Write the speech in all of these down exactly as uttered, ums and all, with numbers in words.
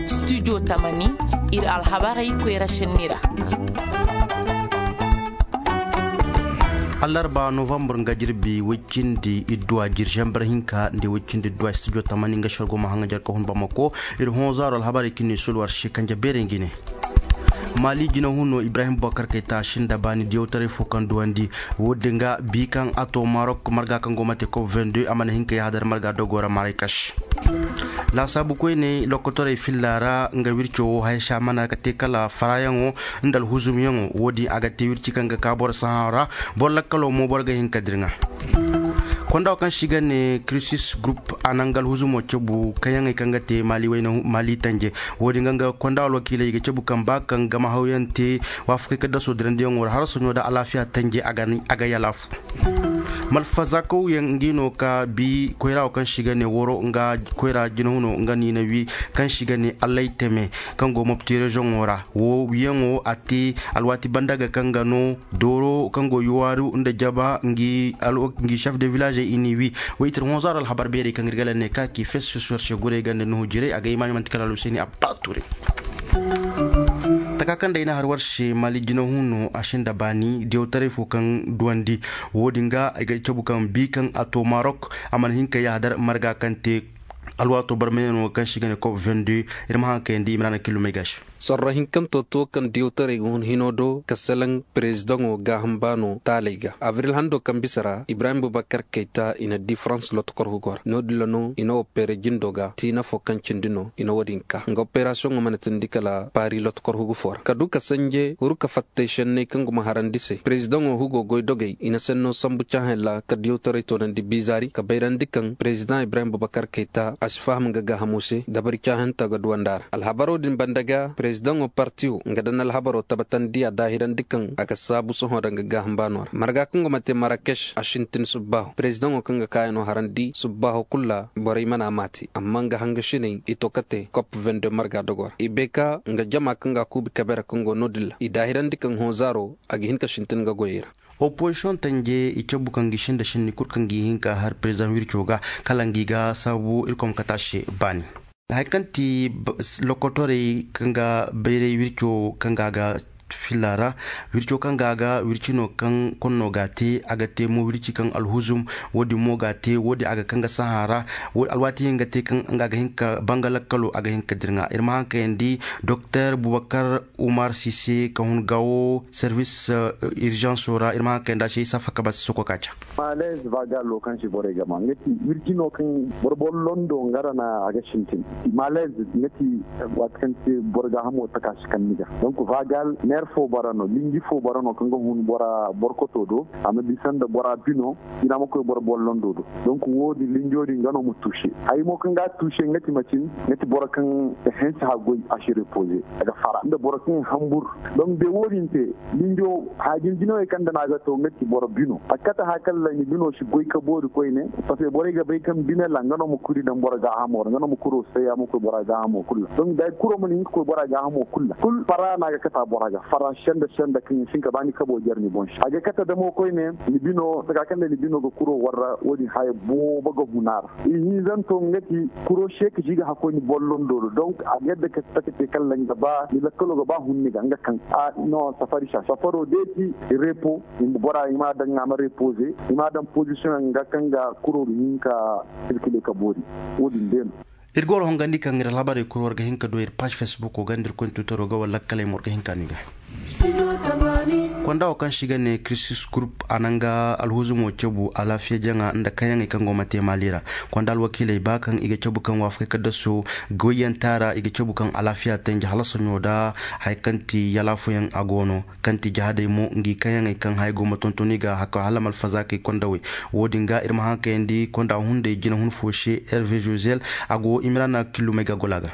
Studio tamani, ir alhabarey koyra šenni ra. Allarba novambar nga jirbi woy cindi idduwa jir zambar hinka nda woy cindi idduwa studio tamani nga šorgo ma haŋa jar ka hun bamako. Ir hõ zaaro alhabarey kaŋ ni sulwar se kanje beerey ngi ne. Mali jinahuno ibrahim bubakar kayta a sinda baani diyawtaray fo kaŋ duwandi. Wo- din ga bi kaŋ a to marok marga kaŋ go ma te kop vingt-deux a mana hin ka yahadar marga dogo ra maraykaš. Laasaabu koyney lokotorey filla ra nga wirco wo haya se a mana ga te kala farayaŋo nda alhuzumyaŋo wo- din a ga te wirci kaŋ ga ka boro sahã ra. Boro lakkalo mo boro ga hin ka dirŋa. Konda wo kaŋ se i ga ne krisis gurup a naŋ ga alhuzumo cabu kayaŋey kaŋ ga te mali wayna mali tanje. Wo- din ga nga konda alwakiiley i ga cabu kaŋ ba kaŋ gama hawyaŋ te waafakey kaddaso dirandiyaŋo ra harasoɲo nda alaafiya tanje a ga yalaafu. Malfazakawyaŋ ngi no ka bi koyra wo kaŋ se i ga ne woro nga koyra jinahuno nga niina wi kaŋ se i ga ne allay teme kaŋ go mopti rezoŋo ra wo wiyaŋo a te alwaati banda ga kaŋ ga no dooro kaŋ go yuwaaru nda jaba ngi chef de village i n'i wi. Wo i tir honzaaro alhabar beerey kaŋ ir ga la ne ka ki fes sosuwar se guray ganda nuhu jiray a ga imaami manti kala alhuseeni abba ture. Taka kaŋ day na har war se mali jinahuno a sinda baani diyawtaray fo kaŋ duwandi. Wo- din ga ay ga cabu kaŋ bi kaŋ a to marok a mana hin ka yahadar marga kaŋ te alwaato barmay no kaŋ se i ga ne kop vingt-deux. Ir ma haŋ kayandi imrana killumey ga se. Sorro hinkanto to kaŋ diyawtaray ga hun hino do ka salaŋ perezidaŋo gaaham baano taaley ga abril hando kaŋ bisa ra ibrahim bubakar kayta i na di farans lotokorhugo ra no- din ra no i na opere jindo ga tiina fo kaŋ cindi no i na wo- din ka nga operasiyoŋo mana tindi kala paari lotokorhugu fo ra ka du ka sanje huru ka fattay senney kaŋ guma harandi se perezidaŋo hugo goy dogey i na senno sambu caahaŋ ra ka diyawtaray toonandi biizaari ka bayrandi kaŋ perezidaŋ ibrahim bubakar kayta a si faham nga gaahamo se dabari caahanta ga duwanda ra alhabaro din banda ga perezidaŋo partiyo nga daŋ alhabaro tabatandi a daahirandi kaŋ a ga saabu sohõ daŋ ga gaaham baano ra marga kaŋ go ma te marakeš a sintin subbaaho perezidaŋo kaŋ ga kaayano harandi subbaaho kul ra borey mana maati amma nga hangasiney i to kate kop vende marga dogo ra i bay ka nga jama kaŋ ga a kuubi kabe ra kaŋ go no- din ra i daahirandi kaŋ hõ zaaro a ga hin ka sintin nga goyey ra. Opozisiyoŋ tanje i cabu kaŋ gi sinda sinni kul kaŋ gi hin ka har perezidaŋ wirco ga kala ngi ga saabu irkoy ma kate a se baani. Hari kaŋ ti lokotorey kaŋ ga bayray wirco kaŋ ga a ga filla ra. Wirco kaŋ ga a ga wirci no kaŋ konno ga a te a ga te mo wirci kaŋ alhuzum. Wo- din mo ga a te wo- din a ga kaŋ ga sahã ra. Alwaati hin ga te kaŋ nga a ga hin ka banga lakkalo a ga hin ka dirŋa ir ma haŋ kayandi doktor bubakar umar sise ka hun gawo servis irzansoo ra ir ma haŋ kayandi a se isa faka ba si soko ka ca. Malez vagal wo kaŋ se borey ga ma nga ti wirji no kaŋ boro boro londo nga ra na a ga sintin. Malez nga ti waati kaŋ te boro gaahamo taka si kaŋ ni ga donk vagal neer fo bara no linji fo bara no kaŋ ga hun bora borkoto do a ma bisa nda bora bino. Jina ma koy boro boro londo do donk wo- din linjo din nga no ma tuuse. Hay mo kaŋ ga a tuuse nga ti macin nga ti boro kaŋ ga hensi haggoy a si repoze a ga fara nda boro kaŋ hambur. Donk de wo- din te linjo haajin jinawey kaŋ nda no a ga to nga ti boro bino a kate haya kaŋ ra ni bino si goy ka boori koyne. Paske borey ga bay kaŋ bine ra nga no ma kuri daŋ boro gaahamo ra nga no ma kuro saya ma koy bora gaahamo kul ra donk da kuro mana hin ka koy bora gaahamo kul ra kul fara no a ga kata bora ga fara senda senda kaŋ ya si hin ka ba ni kabo jare ni boŋ se a ga kata damo koyne. Ni bino taka kaŋ nda ni bino ga kuro warra wo- din haya boobo ga huna ra. Ihinzanto nga ti kuro se ka si ga hakkoy ni bollondo do donk a ga yadda ka taka te kaŋ ra nga ba ni lakkalo ga ba hun ni ga nga kaŋ a no safari sa safaro de ti repo. Bora i ma a daŋ a ma repoze i ma a daŋ pozisiyoŋ nga kaŋ ga kuro ga hin ka sirkile ka boori. Wo- din de no. Ir ga war hongandi kaŋ ir alhabarey kul war ga hin ka du ir paaž fesbuko ga nda ir koy ni tuutaro ga wala lakkaley ma war ga hin ka no i ga. Konda wo kaŋ se i ga ne krisis gurup a naŋ ga alhuzumo cabu alaafiya jaŋa nda kayaŋey kaŋ go ma te maali ra. Konda alwakiiley ba kaŋ i ga cabu kaŋ waafakey kaddaso goyyantaa ra i ga cabu kaŋ alaafiya tanje halasaɲo nda haya kaŋ ti yalaafuyaŋ a go no. Kaŋ ti jahadey mo ngi kayaŋey kaŋ haya go ma tonton i ga haka hala malfazaakey kondawey. Wo- din ga ir ma haŋ kayandi konda hunday jinahun fo se herve josel. A go imirana killumey ga gola ga.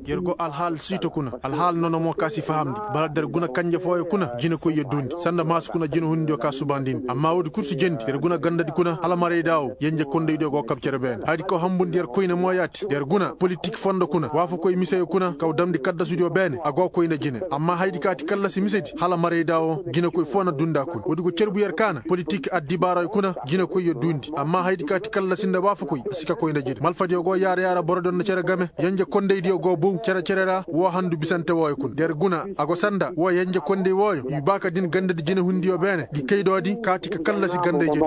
Yer go alhaal siito kuna, alhaal nono mo ka si fahamndi. Bara da yer guna kanje fooyo kuna, jinekoy yer duundi sanda maasu kuna jinehundiyo ka subandindi amma woodi kul si jendi. Yer guna gandadi kuna hala marayda woo yenje kondaydiyo go kab cere beene hayadi kaw hambundi yer koyne mo yaati da yer guna politik fondo kuna waafakoy miseyo kuna kaw damndi kaddasudiyo beene a go koy nda jine. Amma hayadi ka ti kallasi misedi hala marayda woo jinekoy foo na duundi a kuna woodi go cerbu yer kaana politik addibaaroyo kuna jinekoy yer duundi amma hayadi ka ti kallasi nda waafakoy a si ka koy nda jine malfadiyo go yaara yaara borodiyo nda cere game. Yenje kondaydiyo go bow cere-cere ra woo handu bisante wooyo kuna da yer guna a go sanda woo yenje konday wooyo i baa ka din gandadi jinehundiyo beene ngi kaydoodi kaati ka kallasi gandayjedi.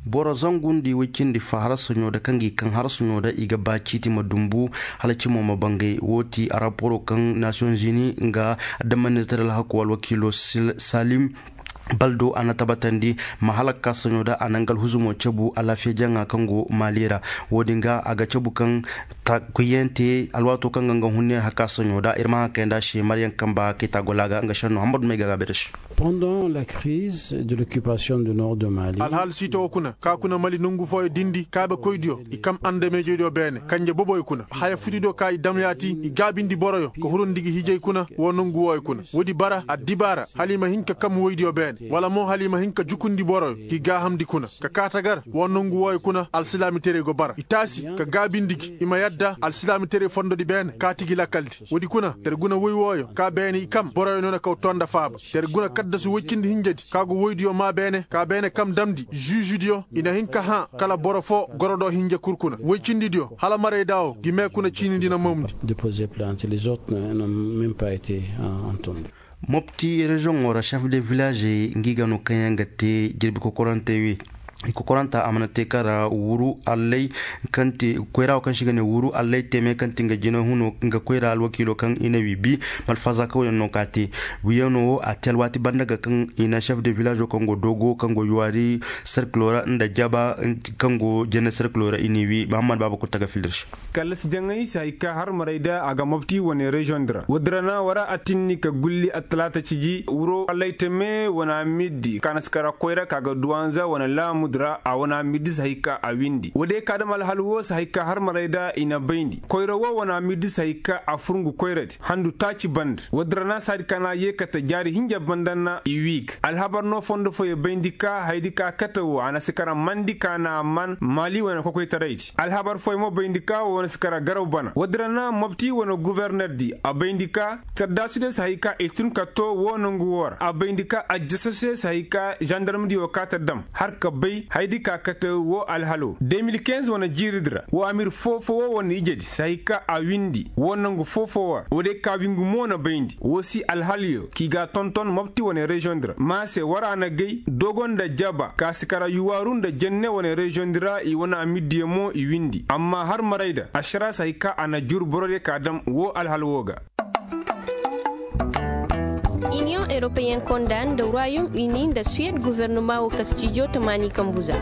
Boro zangundi woy cindi fa harsaɲo da kaŋ gi kaŋ harsaɲo da i ga baa ciiti ma dumbu hala cimo ma bangay woo ti araporoo kaŋ nasiyoŋ zini nga adamanizeer alhaku alwakiilo salim baldo a na tabatandi ma halak ka saɲo da a na nga alhuzumo cabu alaafiya jaŋa kaŋ go maali ra. Wo-din ga a ga cabu kaŋ kuyyante alwaato kaŋ ga nga hunne haka saɲo da ir ma haŋ kayandi a se maryaŋ kamba kay taagolaa ga nga šenno hammadu may ga a ga bay da se. Pendant la crise de l'occupation du nord de mali. Alhaal siito wo kuna ka kuna mali nongu fooyo dindi kaabekoydiyo i kam andameejediyo beene kanje boboyo kuna haya futudiyo ka i dam yaati i gaabindi boroyo ka hurundi gi hijay kuna woo nongu wooyo kuna woodi bara addibaara hala i ma hin ka kam woydiyo beene wala mo hala i ma hin ka jukundi boroyo k'i gaahamndi kuna ka kaa tagar woo nongu wooyo kuna alsilaamiterey go bara i taasi ka gaabindi gi i ma yadda alsilaamiterey fondodi beene kaati gi lakkaldi woodi kuna yer guna woy wooyo ka beene i kam boroyo no na kaw too nda faaba yer guna kaddasu woy cindi hinjadi ka go woydiyo maa beene ka beene kam damndi žižidiyo i na hin ka hã kala boro foo goro do hinja kul kuna woy cindidiyo hala marayda woo gi mee kuna ciinindi na moomndi. Déposer plainte les autres n'ont même pas été entendus. Mopti reziyoŋo ra chef de village ngi ga no kaŋ yaŋ ga te jirbi kokorantey wi i kokoranta a mana te kaŋ ra wuru allay kaŋ te koyra wo kaŋ se i ga ne wuru allay teme kaŋ te nga jina huno nga koyra alwakiilo kaŋ i na wi bi malfaza kaŋ wo yaŋ no ka te. Wiyano wo a te alwaati banda ga kaŋ i na chef de village wo kaŋ go dogo kaŋ go yuwaari serkilo ra nda jaba kaŋ go jenne serkilo ra i n'i wi mahammad baaba kutta ga filla ir se. Kallasi jaŋay si hay ka har maray da a ga mobti wane reziyoŋ di ra woodi ra na war a tinni ka gulli attalaata ciji wuro allaytame wane amiddi kaanasikara koyra ka ga duwanza wane laamudi ra a wane amiddi si hay ka a windi woodiyo ka dam alhal wo si hay ka har maray da i na bayndi koyra wo wane amiddi si hay ka a fur ngu koyradi handu taaci banda woodi ra na saadi ka na a yee kate jaari hinja banda na i wiig alhabar no fondo fooyo bayndi ka hayadi ka kate wo a na si kara mandi ka na a man maali wane kokoytaraydi alhabar fooyo mo bayndi ka wo na si kara garaw bana woodi ra na mobti wane guvernerdi a bayndi ka taddaasudiyo si hay ka i tun ka too wo nongu wo ra a bayndi ka ajjasasudiyo si hay ka zandarmdiyo ka ta dam har ka bay hayadi ka kate wo alhalo de mil kinz wane jiiridi ra wo amir foo-foo wo wane ijedi si hay ka a windi wo nongu foo-foo wo ra woodiyo ka wingu mo na bayndi wo si alhaliyo k'i ga a tonton mobti wane reziyoŋ di ra ma se war a na gay dogo nda jaba ka si kara yuwaaru nda jenne wane reziyoŋ di ra i wane amiddiyo mo i windi amma har maray da ašara si hay ka a na jur borodiyo ka dam wo alhal wo ga. Iniyoŋ europeyen konda nda royaume uni nda suwed guvernuma wo kastijo tamaani kambuza.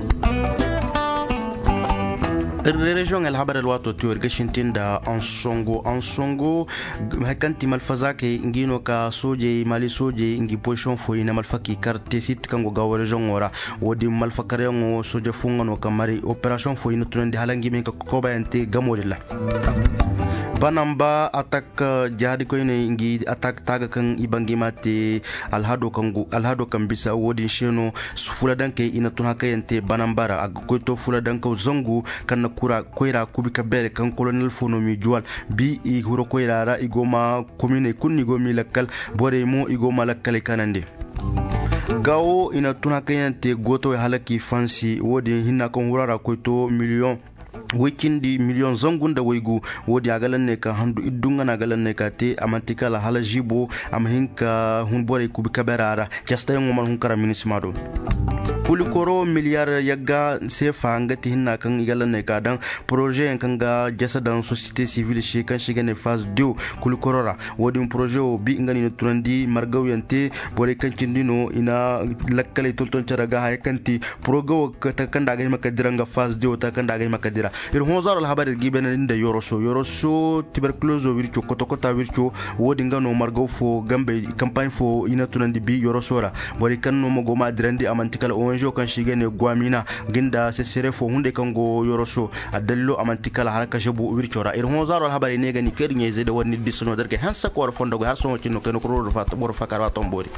Reziyoŋ alhabar alwaato tiyo ir ga sintin nda ansongo ansongo. Hay kaŋ ti malfazaakey ngi no ka soojey maali soojey ngi pozisiyoŋ fooyaŋ i na malfa k'i kar teesit kaŋ go gaawo reziyoŋo ra. Wo-din malfakaryaŋo sooje fo nga no ka mari operasiyoŋ fooyaŋ i na tunandi hala ngi ma hin ka kokobayante gamo din ra. Banamba atak jahadikoyney ngi atak taaga kaŋ i ba ngi ma te alhado kaŋ bisa wo-din se no. Fuladankey i na tun hakayante banamba ra a ga koy to fuladankaw zangu kaŋ na koyra kubi ka beere kaŋ kolonel fo no m'i juwal bi i huro koyra ra i go ma kominey kulu no i go m'i lakkal. Borey mo i go ma lakkaley kanandi. Gaawo i na tun hakayante gootawey hala k'i fansi wo-din hinna kaŋ hura ra koy to miliyoŋ woy cindi miliyoŋ zangu nda waygu. Wo-din a ga lanney ka handu iddu nga no a ga lanney ka te a man'ti kala hala ziibo a ma hin ka hun borey kubi kabera ra. Castayaŋo mana hun kara minisima do. Kulikoro miliyar yagga seefa nga ti hinna kaŋ i ga lanney ka daŋ porozeyaŋ kaŋ ga jasa daŋ sosiyete sivil se kaŋ se i ga ne faz dew. Kulikoro ra wo-din poroze wo bi nga no i na tunandi margawyaŋ te. Borey kaŋ cindi no i na lakkaley tonton care ga haya kaŋ ti poroze wo taka kaŋ nda a ga hima ka dira nga faz dew taka kaŋ nda a ga hima ka dira. Ir hõ zaaro alhabar ir g'i baynandi nda yoroso yoroso tiberkulozo wirco kota-kota wirco. Wo-din nga no margaw fo gambey kampaaɲ fo i na tunandi bi yoroso ra. Borey kaŋ no ma go m'a dirandi a man'ti kala Zo kaŋ se i ga ne gwamina, ga nda sesere fo hunday kaŋ go yoroso. Addalilo a man'ti kala har kasebu wirco ra ir hõ zaaro alhabarey ne ga ni kay da ɲayzey da war ni disa no da ir ga hanse ka war fondo goy har sohõ cindi no kayna kuro war faakar wa tomboori.